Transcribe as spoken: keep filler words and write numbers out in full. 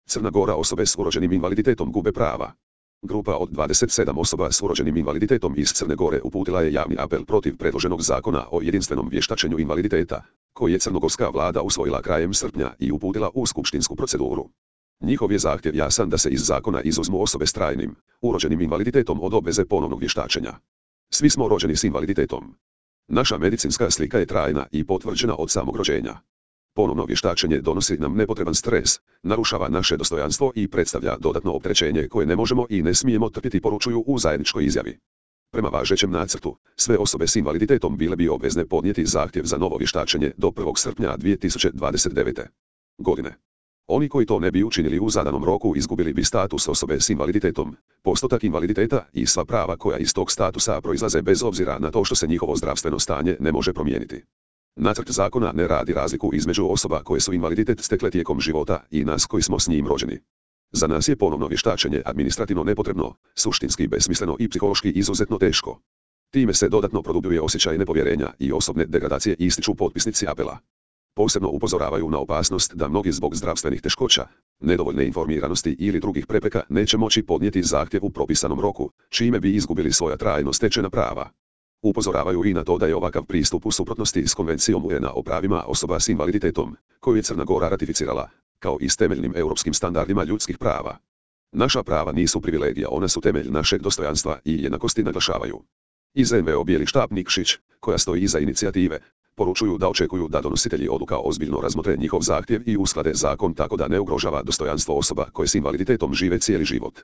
Crna Gora, osobe s urođenim invaliditetom gube prava. Grupa od dvadeset sedam osoba s urođenim invaliditetom iz Crne Gore uputila je javni apel protiv predloženog zakona o jedinstvenom vještačenju invaliditeta, koji je crnogorska vlada usvojila krajem srpnja i uputila u skupštinsku proceduru. Njihov je zahtjev jasan da se iz zakona izuzmu osobe s trajnim, urođenim invaliditetom od obveze ponovnog vještačenja. Svi smo rođeni s invaliditetom. Naša medicinska slika je trajna i potvrđena od samog rođenja. Ponovno vještačenje donosi nam nepotreban stres, narušava naše dostojanstvo i predstavlja dodatno opterećenje koje ne možemo i ne smijemo trpiti, poručuju u zajedničkoj izjavi. Prema važećem nacrtu, sve osobe s invaliditetom bile bi obvezne podnijeti zahtjev za novo vještačenje do prvog srpnja dvije tisuće dvadeset devete. godine. Oni koji to ne bi učinili u zadanom roku izgubili bi status osobe s invaliditetom, postotak invaliditeta i sva prava koja iz tog statusa proizlaze bez obzira na to što se njihovo zdravstveno stanje ne može promijeniti. Nacrt zakona ne radi razliku između osoba koje su invaliditet stekle tijekom života i nas koji smo s njim rođeni. Za nas je ponovno vještačenje administrativno nepotrebno, suštinski besmisleno i psihološki izuzetno teško. Time se dodatno produbljuje osjećaj nepovjerenja i osobne degradacije, ističu potpisnici apela. Posebno upozoravaju na opasnost da mnogi zbog zdravstvenih teškoća, nedovoljne informiranosti ili drugih prepreka neće moći podnijeti zahtjev u propisanom roku, čime bi izgubili svoja trajno stečena prava. Upozoravaju i na to da je ovakav pristup u suprotnosti s Konvencijom U N A o pravima osoba s invaliditetom, koju je Crna Gora ratificirala, kao i s temeljnim europskim standardima ljudskih prava. Naša prava nisu privilegija, ona su temelj našeg dostojanstva i jednakosti, naglašavaju. Iz N V O Bijeli štab Nikšić, koja stoji iza inicijative, poručuju da očekuju da donositelji odluka ozbiljno razmotre njihov zahtjev i usklade zakon tako da ne ugrožava dostojanstvo osoba koje s invaliditetom žive cijeli život.